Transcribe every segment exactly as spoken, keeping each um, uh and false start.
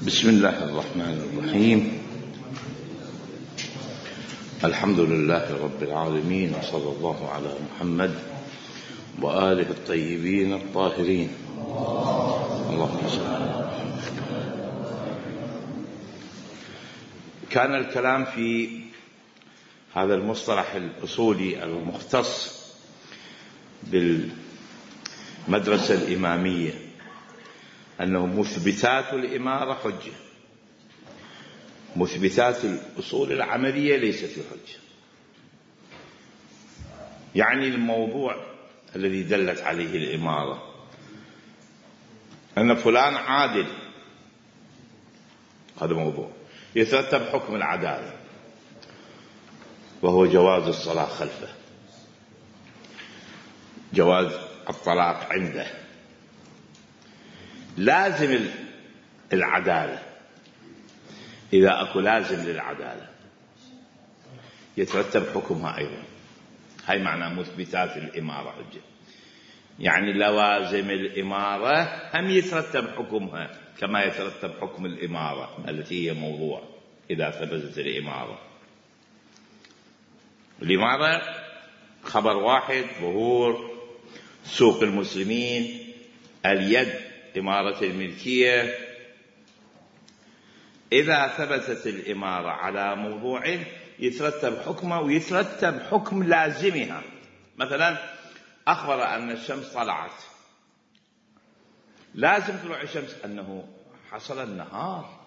بسم الله الرحمن الرحيم. الحمد لله رب العالمين، وصلى الله على محمد وآله الطيبين الطاهرين. اللهم صل على محمد. كان الكلام في هذا المصطلح الأصولي المختص بالمدرسة الإمامية أنه مثبتات الإمارة حجة، مثبتات الأصول العملية ليست حجة. يعني الموضوع الذي دلت عليه الإمارة أن فلان عادل، هذا موضوع يترتب حكم العدالة وهو جواز الصلاة خلفه، جواز الطلاق عنده، لازم العدالة. إذا أكو لازم للعدالة يترتب حكمها أيضا. هاي معنى مثبتات الإمارة حجة، يعني لوازم الإمارة هم يترتب حكمها كما يترتب حكم الإمارة التي هي موضوع. إذا ثبتت الإمارة، الإمارة خبر واحد: ظهور سوق المسلمين، اليد، إمارة الملكية. إذا ثبتت الإمارة على موضوع يترتب حكمه ويترتب حكم لازمها. مثلا أخبر أن الشمس طلعت، لازم طلوع الشمس أنه حصل النهار،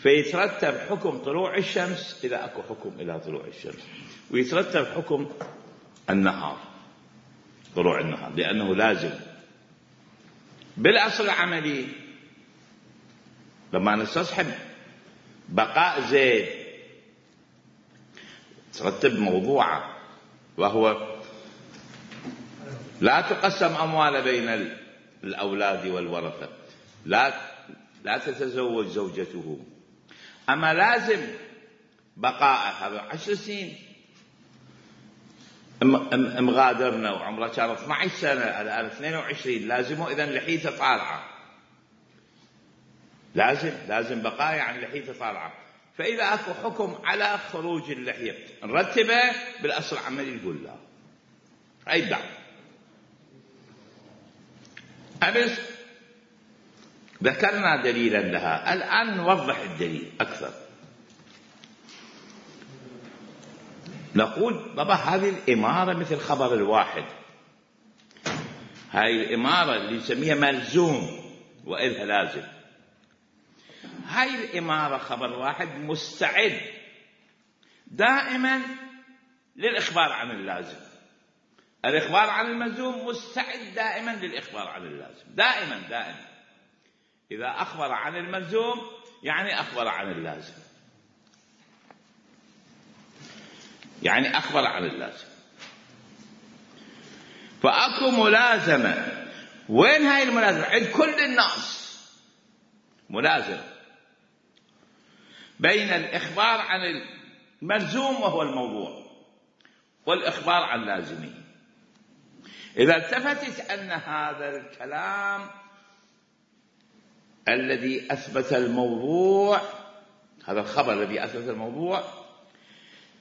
فيترتب حكم طلوع الشمس إذا أكو حكم إلى طلوع الشمس، ويترتب حكم النهار، طلوع النهار، لأنه لازم. بالأصل العملي لما نستصحب بقاء زيد ترتب موضوعه، وهو لا تقسم أموال بين الأولاد والورثة، لا لا تتزوج زوجته. أما لازم بقاء هذا عشر سنين، مغادرنا وعمره كان اثنتي عشرة سنة، الآن اثنين وعشرين، لازمه إذن لحيته طالعة، لازم لازم بقاء يعني لحيته طالعة. فإذا أكو حكم على خروج اللحية نرتبه بالأصل العملي نقول لا، أي دعوة. أمس ذكرنا دليلا لها، الآن نوضح الدليل أكثر. نقول بابا هذه الإمارة مثل خبر الواحد، هاي الإمارة اللي نسميها ملزوم وإلها لازم. هاي الإمارة خبر واحد مستعد دائما للإخبار عن اللازم، الإخبار عن الملزوم مستعد دائما للإخبار عن اللازم، دائما دائما. إذا أخبر عن الملزوم يعني أخبر عن اللازم، يعني أخبر عن اللازم. فأكو ملازمة. وين هاي الملازمة؟ عند كل الناس ملازمة بين الإخبار عن الملزوم وهو الموضوع والإخبار عن لازمه. إذا التفتت أن هذا الكلام الذي أثبت الموضوع، هذا الخبر الذي أثبت الموضوع،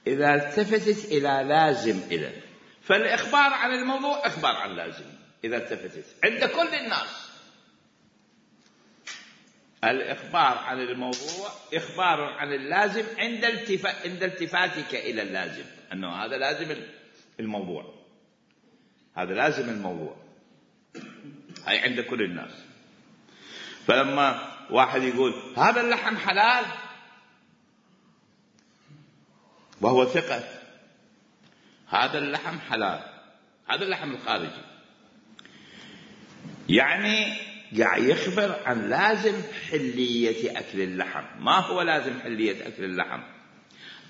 إذا التفتت إلى لازم إذن فالإخبار عن الموضوع إخبار عن لازم. إذا التفتت عند كل الناس الإخبار عن الموضوع إخبار عن اللازم عند التفا... عند التفاتك إلى اللازم، أنه هذا لازم الموضوع، هذا لازم الموضوع، هاي عند كل الناس. فلما واحد يقول هذا اللحم حلال وهو ثقة، هذا اللحم حلال، هذا اللحم الخارجي، يعني قاعد يخبر عن لازم حلية أكل اللحم. ما هو لازم حلية أكل اللحم؟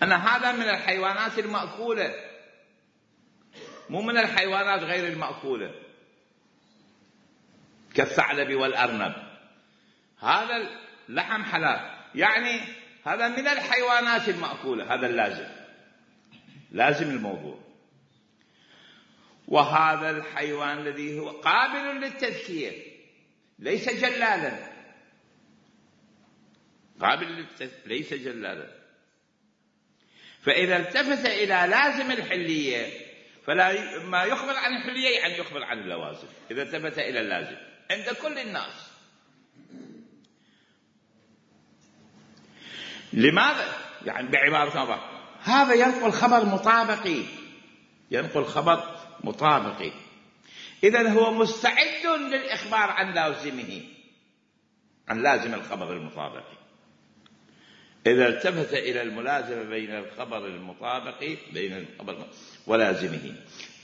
أن هذا من الحيوانات المأكولة، مو من الحيوانات غير المأكولة كالثعلب والأرنب. هذا اللحم حلال، يعني هذا من الحيوانات المأكولة، هذا اللازم، لازم الموضوع. وهذا الحيوان الذي هو قابل للتذكير ليس جلالا، قابل للتثبيت ليس جلالا. فإذا التفت إلى لازم الحلية فلا ما يخبر عن الحلية يعني يخبر عن اللوازم. إذا التفت إلى اللازم عند كل الناس. لماذا؟ يعني بعبارة أخرى هذا ينقل خبر مطابقي، ينقل خبر مطابقي. إذن هو مستعد للإخبار عن لازمه، عن لازم الخبر المطابقي. إذا التفت إلى الملازمة بين الخبر المطابقي بين الخبر ولازمه،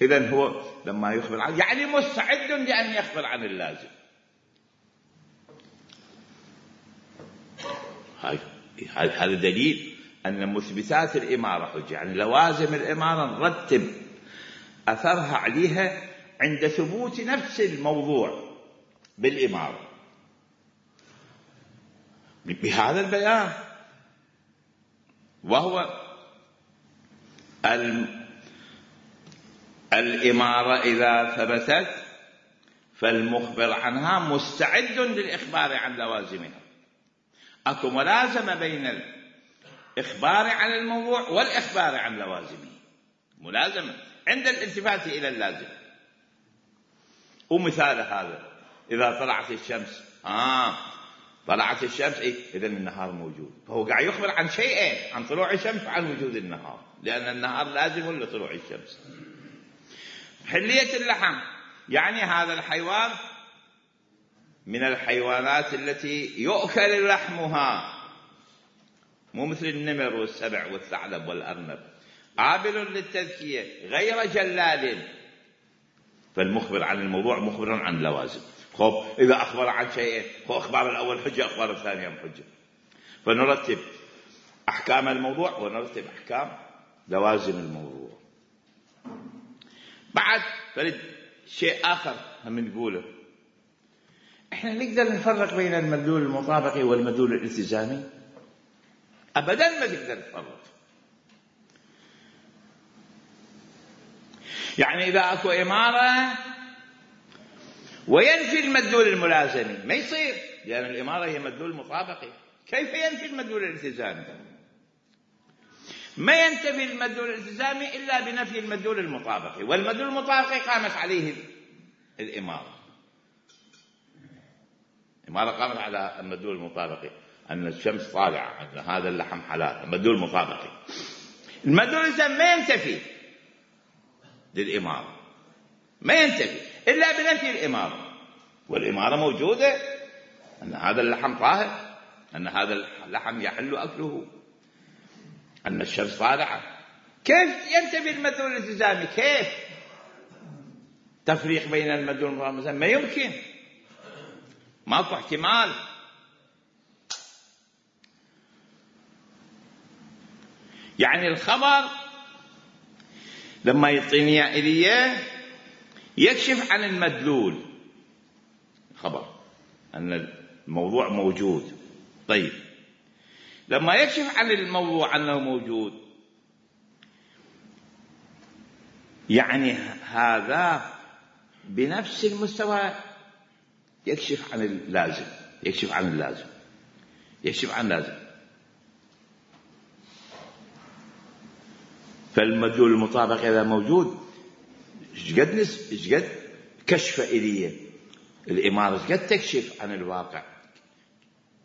إذن هو لما يخبر عنه يعني مستعد لأن يخبر عن اللازم. هاي هذا دليل أن مثبتات الإمارة حجة، يعني لوازم الإمارة نرتب أثرها عليها عند ثبوت نفس الموضوع بالإمارة بهذا البيان، وهو الإمارة إذا ثبتت فالمخبر عنها مستعد للإخبار عن لوازمها. أكو ملازمة بين الإخبار عن الموضوع والإخبار عن لوازمه، ملازمة عند الالتفات إلى اللازم. ومثال هذا إذا طلعت الشمس آه طلعت الشمس إيه؟ إذن النهار موجود، فهو قاعد يخبر عن شيئين، عن طلوع الشمس وعن وجود النهار، لأن النهار لازم لطلوع الشمس. حلية اللحم يعني هذا الحيوان من الحيوانات التي يؤكل لحمها، مو مثل النمر والسبع والثعلب والأرنب، قابل للتذكية غير جلال، فالمخبر عن الموضوع مخبر عن لوازم. خب إذا أخبر عن شيء هو أخبار الأول حجة، أخبار الثانية حجة، فنرتب أحكام الموضوع ونرتب أحكام لوازم الموضوع. بعد فرد شيء آخر هم نقوله، إحنا نقدر نفرق بين المدلول المطابقي والمدلول الالتزامي؟ أبدا ما تقدر تفرق. يعني إذا أكو إمارة وينفي المدلول الملازمي ما يصير، لأن الإمارة هي مدلول مطابقي. كيف ينفي المدلول الالتزامي؟ ما ينتفي المدلول الالتزامي إلا بنفي المدلول المطابقي، والمدلول المطابقي قامت عليه الإمارة. الإمارة قامت على المدلول المطابقي أن الشمس طالعة، أن هذا اللحم حلال، المدلول المطابقي. المدلول الالتزامي ما ينتفي للإمارة، ما ينتفي إلا بنفي الإمارة، والإمارة موجودة أن هذا اللحم طاهر، أن هذا اللحم يحل أكله، أن الشمس طالعة. كيف ينتفي المدلول الالتزامي؟ كيف تفريق بين المدلول والملازم؟ ما يمكن، ماكو احتمال. يعني الخبر لما يعطيني إياه يكشف عن المدلول، خبر أن الموضوع موجود. طيب لما يكشف عن الموضوع أنه موجود يعني هذا بنفس المستوى يكشف عن اللازم، يكشف عن اللازم يكشف عن اللازم. فالمدلول المطابق إذا موجود شقد نس شقد كشف إليه الإمارة، شقد تكشف عن الواقع،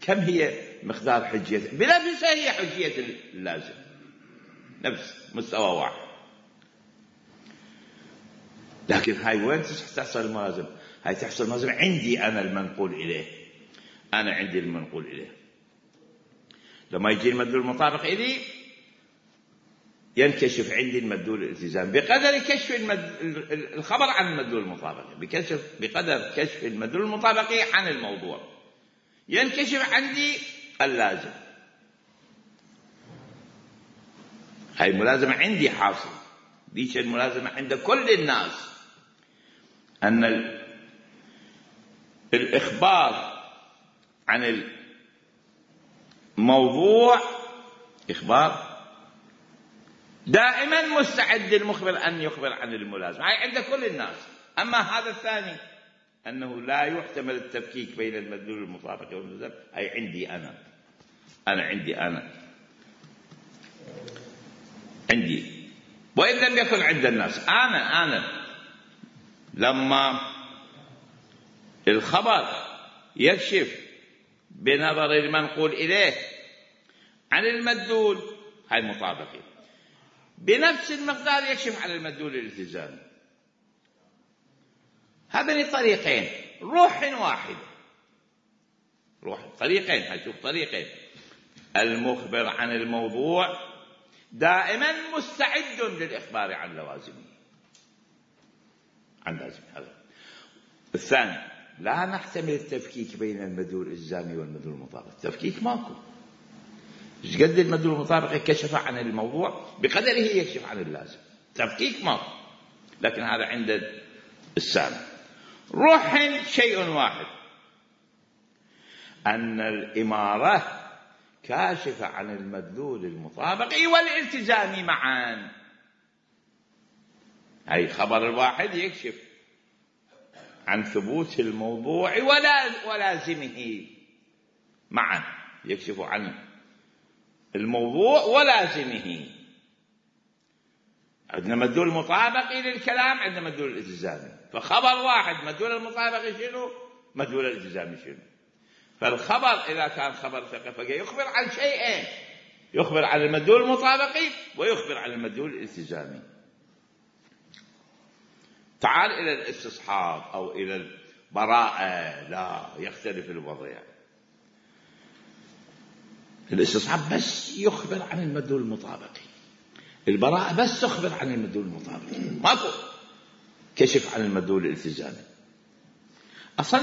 كم هي مقدار حجية، بنفسها هي حجية اللازم، نفس مستوى واحد. لكن هاي وين تحصل الملازم؟ هاي تحصل الملازم عندي أنا المنقول إليه، أنا عندي المنقول إليه. لما يجي المدلول المطابق إليه ينكشف عندي المدلول الالتزام بقدر كشف المد... الخبر عن المدلول المطابقي، بكشف بقدر كشف المدلول المطابقي عن الموضوع ينكشف عندي اللازم. هاي الملازمة عندي حاصل، ديش الملازمة عند كل الناس، أن ال... الإخبار عن الموضوع إخبار دائما مستعد المخبر أن يخبر عن الملازمة، هاي عند كل الناس. أما هذا الثاني أنه لا يحتمل التفكيك بين المدلول المطابق والملزم، هاي عندي أنا. أنا عندي أنا عندي وإن لم يكن عند الناس. أنا أنا لما الخبر يكشف بنظر المنقول إليه عن المدلول، هاي مطابقة، بنفس المقدار يكشف عن المدلول الالتزامي. هذين الطريقين روح واحدة، روح طريقين، هشوف طريقين. المخبر عن الموضوع دائما مستعد للإخبار عن لوازمه، عن لازم. هذا الثاني، لا نحتمل التفكيك بين المدلول الإلزامي والمدلول المطابق. تفكيك ماكو. ايش قد المدلول المطابق كشف عن الموضوع بقدره يكشف عن اللازم، تفكيك ماكو. لكن هذا عند السامع. روح شيء واحد، أن الإمارة كاشفة عن المدلول المطابق والالتزامي معا. هاي خبر الواحد يكشف عن ثبوت الموضوع ولا ولازمه معا، يكشف عن الموضوع ولازمه. عندنا مدلول مطابقي للكلام، عندنا مدلول الالتزامي. فخبر واحد مدلول المطابقي شنو؟ مدلول الالتزامي شنو؟ فالخبر إذا كان خبر ثقة يخبر عن شيئين، يخبر عن المدلول المطابقي ويخبر عن المدلول الالتزامي. تعال إلى الاستصحاب أو إلى البراءة، لا، يختلف الوضع. الاستصحاب بس يخبر عن المدلول المطابقي، البراءة بس تخبر عن المدلول المطابقي، ماكو كشف عن المدلول الالتزامي. أصلا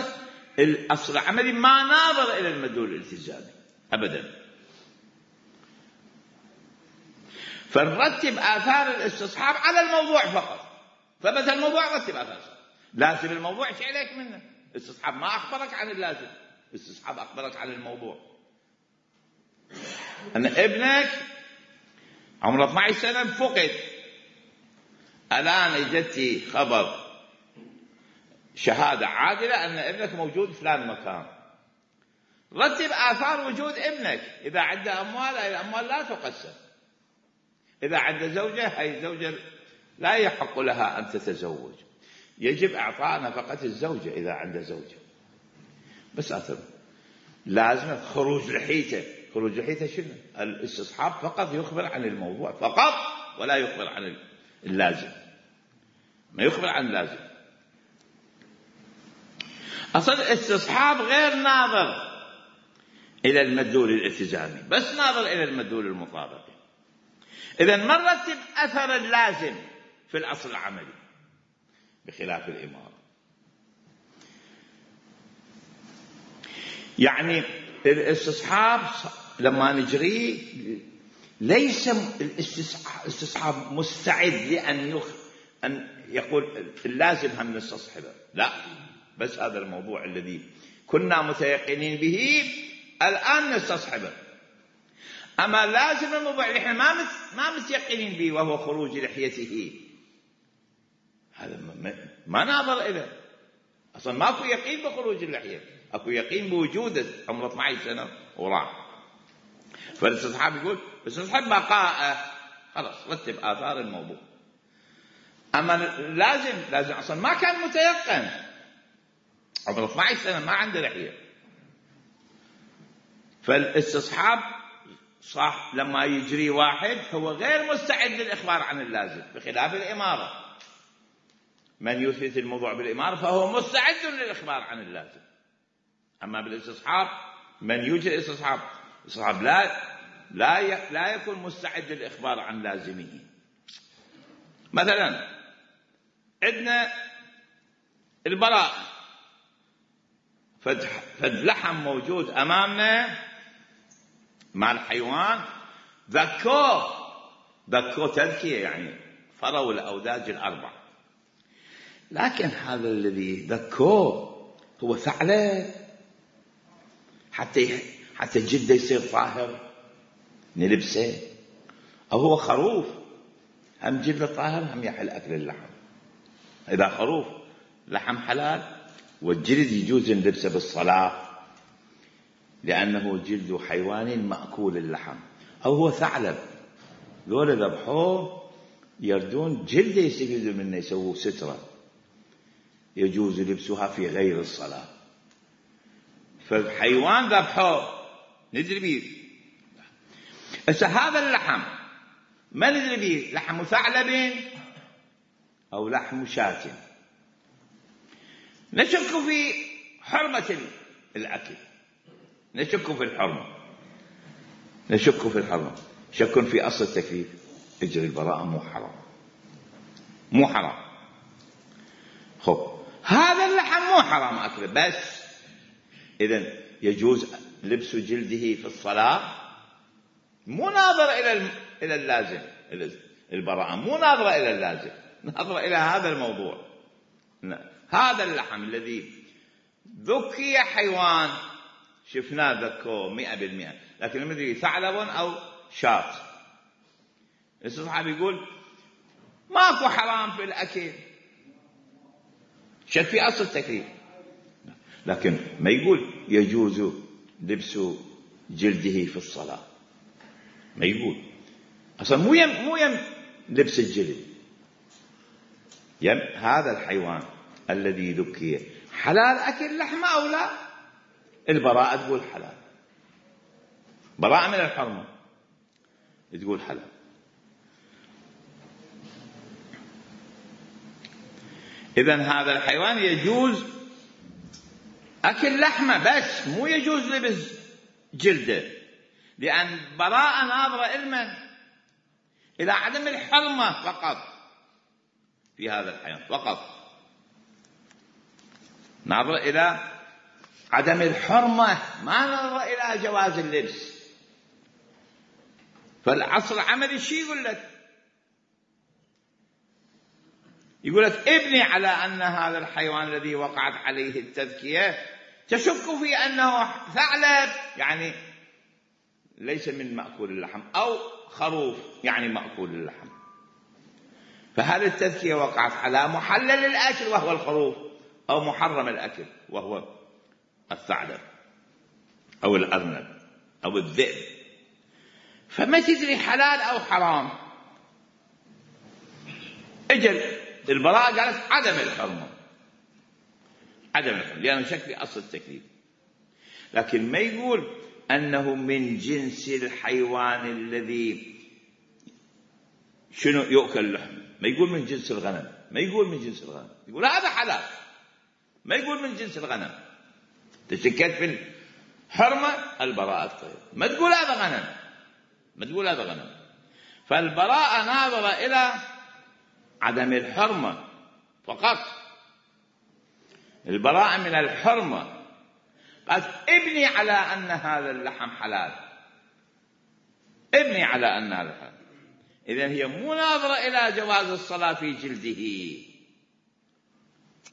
الأصل العملي ما ناظر إلى المدلول الالتزامي أبدا. فنرتب آثار الاستصحاب على الموضوع فقط. فمثل الموضوع رتب آثار، لازم الموضوع شيء عليك منه. الاستصحاب ما أخبرك عن اللازم، الاستصحاب أخبرك عن الموضوع. أن ابنك عمره اثني عشر سنة فقد، الآن اجتي خبر شهادة عادلة أن ابنك موجود في فلان مكان. رتب آثار وجود ابنك. إذا عنده أموال، هاي الأموال لا تقسم. إذا عنده زوجة، هاي الزوجة لا يحق لها أن تتزوج، يجب إعطاء نفقة الزوجة إذا عنده زوجة. بس أثر لازم خروج لحيته. خروج لحيته شنو؟ الاستصحاب فقط يخبر عن الموضوع فقط، ولا يخبر عن اللازم، ما يخبر عن اللازم. أصل الاستصحاب غير ناظر إلى المدلول الالتزامي، بس ناظر إلى المدلول المطابقي. إذن ما نرتب أثر اللازم في الأصل العملي بخلاف الإمارة. يعني الاستصحاب لما نجريه ليس الاستصحاب مستعد لأن يخ... أن يقول اللازم هم نستصحبه، لا، بس هذا الموضوع الذي كنا متيقنين به الآن نستصحبه. أما لازم الموضوع اللي احنا ما ما متيقنين به وهو خروج لحيته، هذا ما ناظر إليه. أصلا ماكو يقين بخروج اللحية، أكو يقين بوجوده عمره اثني عشر سنة وراح. فالاستصحاب يقول الاستصحاب بقاء، خلاص رتب آثار الموضوع. أما لازم لازم أصلا ما كان متيقن، عمره اثني عشر سنة ما عنده لحية. فالاستصحاب صح لما يجري واحد هو غير مستعد للإخبار عن اللازم، بخلاف الإمارة. من يثبت الموضوع بالإمارة فهو مستعد للإخبار عن اللازم. أما بالاستصحاب من يجري الاستصحاب الاستصحاب لا لا لا يكون مستعد للإخبار عن لازمه. مثلا عندنا البراء، فد لحم موجود أمامنا مع الحيوان، ذكوه ذكوه تذكية، يعني فروا الأوداج الأربع. لكن هذا الذي ذكوه هو ثعلب، حتى حتى جلده يصير طاهر نلبسه، أو هو خروف هم جلده طاهر هم يحل أكل اللحم. إذا خروف لحم حلال والجلد يجوز نلبسه بالصلاة لأنه جلد حيوان مأكول اللحم، أو هو ثعلب ذولا ذبحوه يردون جلده يستفيدوا منه يسووا سترة يجوز لبسها في غير الصلاة. فالحيوان ذبحوه ندري بيه. هسه هذا اللحم ما ندري بيه لحم ثعلب أو لحم شاة، نشك في حرمة الأكل، نشك في الحرمة، نشك في الحرمة، شك في أصل التكليف. اجري البراءة مو حرام، مو حرام. خب هذا اللحم مو حرام أكله، بس إذن يجوز لبس جلده في الصلاة، مو ناظر إلى إلى اللازم. البراءة مو ناظرة إلى اللازم، ناظرة إلى هذا الموضوع. هذا اللحم الذي ذكي حيوان شفناه ذكوه مئة بالمئة، لكن لما ندري ثعلب أو شاة، الصحابي يقول ماكو حرام في الأكل، شك في أصل التكليف، لكن ما يقول يجوز لبس جلده في الصلاة، ما يقول أصلا مو يم مو يم لبس الجلد، يم هذا الحيوان الذي ذكي حلال أكل لحمه أو لا. البراءة تقول حلال، براءة من الحرمة تقول حلال. إذن هذا الحيوان يجوز أكل لحمه بس مو يجوز لبس جلده، لأن براءة ناظرة إلما إلى عدم الحرمة فقط في هذا الحيوان، فقط ناظرة إلى عدم الحرمة، ما ناظرة إلى جواز اللبس. فالعصر العملي شي يقول لك؟ يقول لك ابني على أن هذا الحيوان الذي وقعت عليه التذكية تشك في أنه ثعلب يعني ليس من مأكول اللحم، أو خروف يعني مأكول اللحم، فهل التذكية وقعت على محلل الأكل وهو الخروف، أو محرم الأكل وهو الثعلب أو الأرنب أو الذئب؟ فما تدري حلال أو حرام. أجل البراءة قالت عدم الحرمة، عدم الحرمة لأنه شك في أصل التكليف، لكن ما يقول أنه من جنس الحيوان الذي شنو يؤكل لحم، ما يقول من جنس الغنم، ما يقول من جنس الغنم، يقول هذا حلال، ما يقول من جنس الغنم. تشكت في الحرمة البراءة طيب، ما تقول هذا غنم، ما تقول هذا غنم. فالبراءة ناظرة إلى عدم الحرمة فقط، البراءة من الحرمة. قالت ابني على أن هذا اللحم حلال، ابني على أن هذا حلال. إذن هي مناظرة إلى جواز الصلاة في جلده،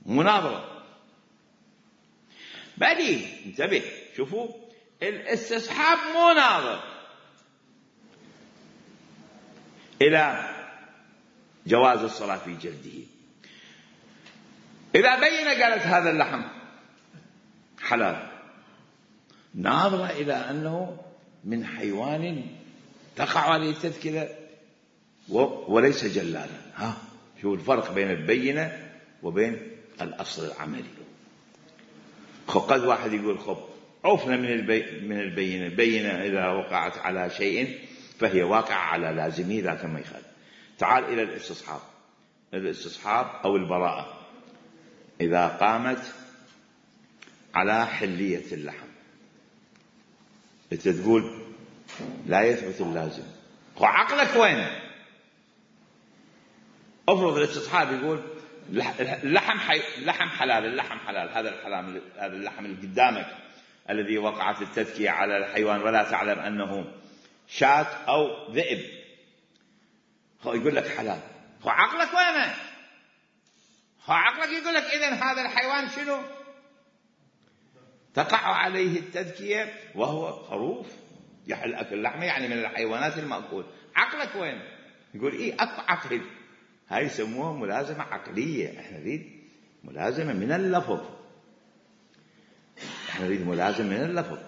مناظرة. بعدين انتبه شوفوا الاستصحاب مو ناظر إلى جواز الصلاة في جلده. إذا بين قالت هذا اللحم حلال، ناظرة إلى أنه من حيوان تقع عليه التذكرة وليس جلالا. ها شو الفرق بين البينة وبين الأصل العملي؟ قد واحد يقول خب عوفنا من البي من البينة، البينة إذا وقعت على شيء فهي واقعة على لازمه ذاك ما يخالف. تعال إلى الاستصحاب، الاستصحاب أو البراءة إذا قامت على حلية اللحم، أنت تقول لا يثبت اللازم، وعقلك وين؟ افرض الاستصحاب يقول اللحم حي... اللحم حلال، اللحم حلال، هذا الحلال، هذا اللحم اللي قدامك الذي وقعت التذكية على الحيوان ولا تعلم أنه شاة أو ذئب، هو يقول لك حلال، هو عقلك وين؟ هو عقلك يقول لك إذن هذا الحيوان شنو؟ تقع عليه التذكية وهو خروف يحل أكل لحمه، يعني من الحيوانات المأكول. عقلك وين؟ يقول إيه أكو عقل، هاي يسموها ملازمة عقلية. احنا نريد ملازمة من اللفظ، احنا نريد ملازمة من اللفظ.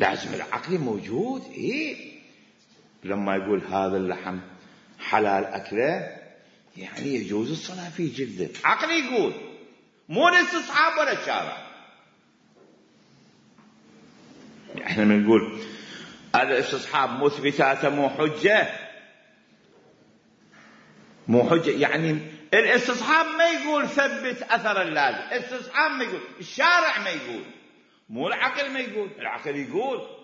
لازم العقل موجود. إيه لما يقول هذا اللحم حلال أكله يعني يجوز الصلاة في جلده، عقل يقول، مو الاستصحاب ولا الشارع. احنا بنقول الاستصحاب مثبتاته مو حجة، مو حجة يعني الاستصحاب ما يقول ثبت أثر اللازم، الاستصحاب ما يقول، الشارع ما يقول، مو العقل ما يقول، العقل يقول.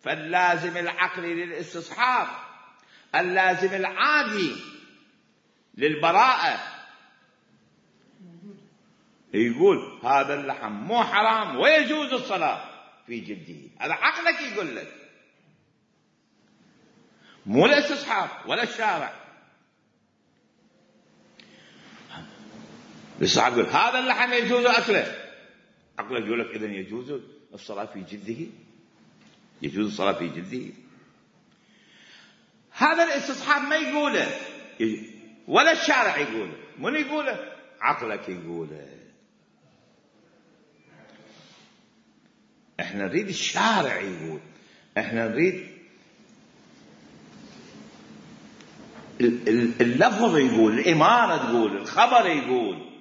فاللازم العقلي للاستصحاب، اللازم العادي للبراءة، يقول هذا اللحم مو حرام ويجوز الصلاة في جلده، هذا عقلك يقول لك، مو الاستصحاب ولا الشارع. الاستصحاب يقول هذا اللحم يجوز أكله، عقلك يقول لك إذن يجوز الصلاة في جلده، يجوز الصلاة في جلده. هذا الاستصحاب ما يقوله ولا الشارع يقوله، من يقوله؟ عقلك يقوله. احنا نريد الشارع يقول، احنا نريد اللفظ يقول، الإمارة تقول، الخبر يقول،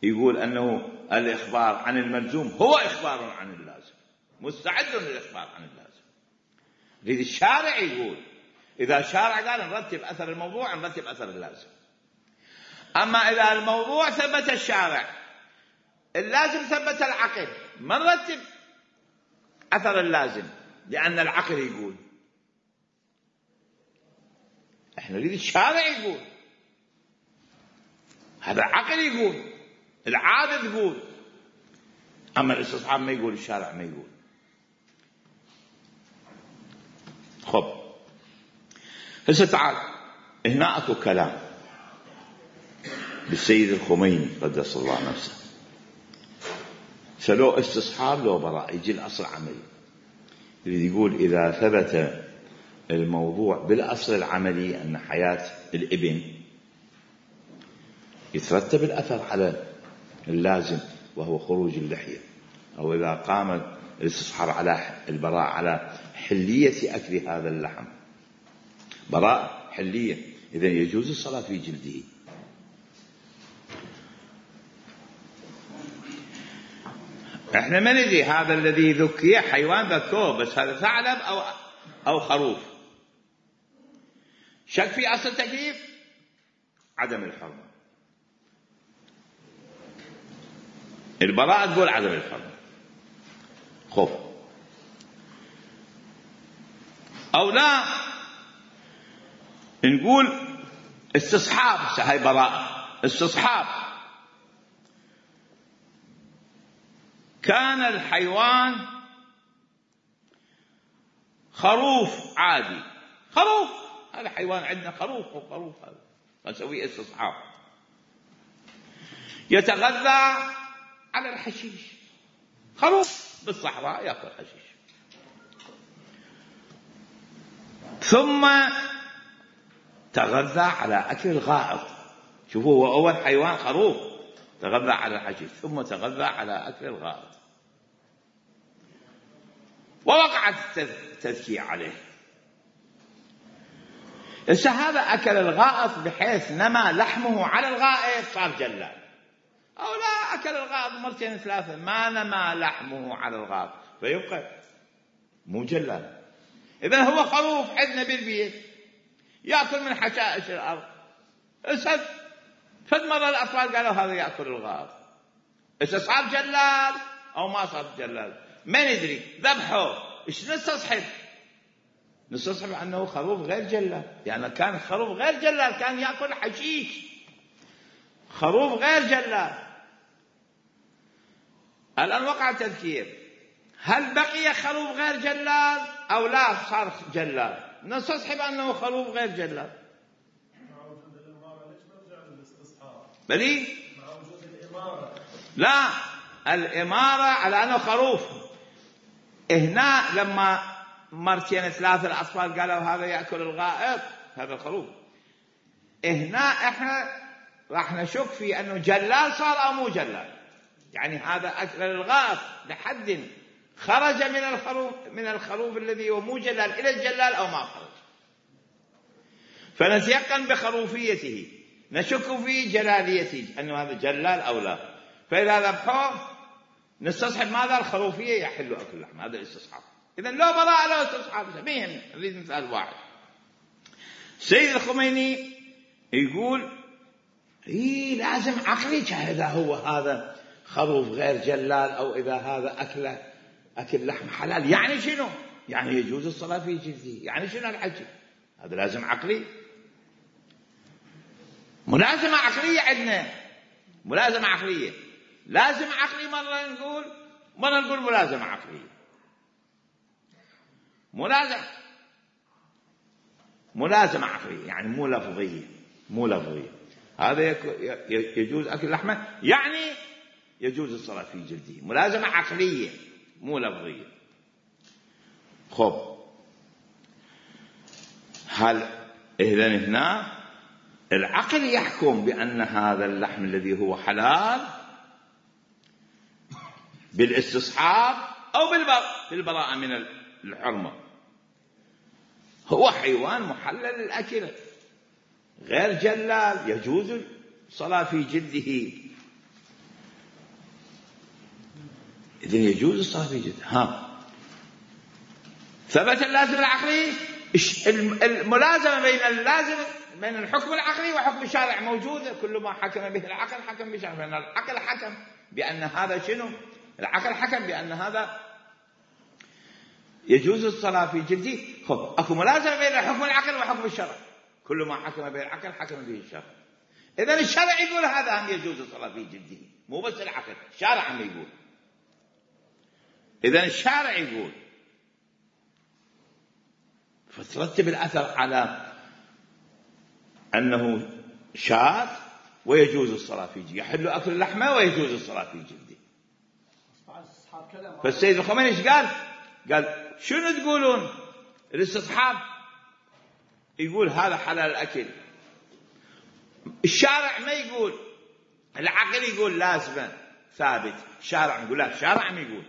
يقول أنه الإخبار عن الملزوم هو إخبار عن اللازم، مستعد للإخبار عن اللازم. نريد الشارع يقول، إذا الشارع قال نرتب أثر الموضوع نرتب أثر اللازم. أما إذا الموضوع ثبت الشارع، اللازم ثبت العقل، ما نرتب أثر اللازم لأن العقل يقول. احنا نريد الشارع يقول، هذا العقل يقول، العادة تقول، أما الاستصحاب ما يقول، الشارع ما يقول. خب هسه تعال هنا اكو كلام بالسيد الخميني قدس الله نفسه، سلو استصحاب لو براء، يجي الأصل عملي، يريد يقول إذا ثبت الموضوع بالأصل العملي أن حياة الابن يترتب الأثر على اللازم وهو خروج اللحية، أو إذا قام الاستصحاب على البراء على حلية أكل هذا اللحم، براء حلية، إذن يجوز الصلاة في جلده. احنا ما ندري هذا الذي ذكي حيوان ذكوه، بس هذا ثعلب أو أو خروف. شك في أصل تكليف عدم الحرمة، البراءة تقول عدم الحرمة. خب أو لا نقول استصحاب، هاي براءة استصحاب، كان الحيوان خروف عادي، خروف، هذا حيوان عندنا خروف، وخروف هذا نسويه استصحاب، يتغذى على الحشيش، خروف بالصحراء يأكل حشيش، ثم تغذى على أكل الغائط. شوفوا هو أول حيوان خروف تغذى على الحشيش، ثم تغذى على أكل الغائط، ووقعت التذكية عليه. إذا هذا أكل الغائط بحيث نما لحمه على الغائط صار جلال، أو لا أكل الغائط مرتين ثلاثة ما نما لحمه على الغائط فيبقى مو جلال. إذن هو خروف عندنا بالبيت يأكل من حشائش الأرض، إذا فد مرة الأطفال قالوا هذا يأكل الغائط، إذا صار جلال أو ما صار جلال ما ندري، ذبحه إيش نستصحب؟ نستصحب أنه خروف غير جلال، يعني كان خروف غير جلال كان يأكل حشيش، خروف غير جلال. الآن وقع تذكير، هل بقي خروف غير جلال أو لا صار جلال؟ نستصحب أنه خروف غير جلال. مع وجود الإمارة ليش نرجع للاستصحاب؟ بلي؟ مع وجود الإمارة. لا، الإمارة على أنه خروف. هنا لما مرتين ثلاثة الأطفال قالوا هذا يأكل الغائط، هذا الخروف، هنا احنا راح نشك في أنه جلال صار أو مو جلال، يعني هذا أكل الغائط لحد خرج من الخروف من الخروف الذي هو مو جلال إلى الجلال أو ما خرج، فنتيقن بخروفيته، نشك في جلاليته أنه هذا جلال أو لا، فإذا ذبحوه نستصحب ماذا؟ الخروفية، يحل أكل اللحم، هذا الاستصحاب. إذن لو براءة لو استصحاب، بهم نريد مثال واحد. سيد الخميني يقول إيه لازم عقلي إذا هو هذا خروف غير جلال أو إذا هذا أكله أكل لحم حلال، يعني شنو؟ يعني يجوز الصلاة في جلده، يعني شنو الحكي؟ هذا لازم عقلي، ملازمة عقلية عندنا، ملازمة عقلية، لازم عقلي مرة نقول مرة نقول ملازمة عقلية، ملازمة ملازمة عقلية يعني مو لفظية، مو لفظية. هذا يجوز أكل لحمه يعني يجوز الصلاة في جلده، ملازمة عقلية مو لفظية. خب هل إذن هنا العقل يحكم بأن هذا اللحم الذي هو حلال بالاستصحاب أو بالبراءة من الحرمة، هو حيوان محلل الأكل غير جلال يجوز الصلاة في جلده، إذن يجوز الصلاة في جلده. ها ثبت اللازم العقلي، الملازمة بين اللازم بين الحكم العقلي وحكم الشارع موجودة، كل ما حكم به العقل حكم بالشارع، لأن العقل حكم بأن هذا شنو؟ العقل حكم بأن هذا يجوز الصلاة في جلده. خب أكو ملازمة بين حكم العقل وحكم الشرع، كل ما حكم به العقل حكم به الشرع. إذن الشرع يقول هذا هم يجوز الصلاة في جلده، مو بس العقل، الشارع هم يقول. إذن الشارع يقول، فترتب الأثر على أنه شاذ ويجوز الصلاة في جلده، يحل أكل اللحمة ويجوز الصلاة في جلده. فالسيد الخميني ايش قال؟ قال شنو تقولون؟ الاستصحاب يقول هذا حلال الأكل، الشارع ما يقول، العقل يقول لازمة ثابت، الشارع يقول لا، الشارع ما يقول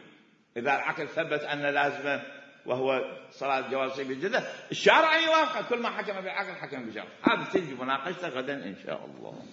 إذا العقل ثبت أن لازمة وهو صلاة جواز في جلده، الشارع يوافق، كل ما حكم بالعقل حكم بالشرع. هذا تجي مناقشته غدا إن شاء الله.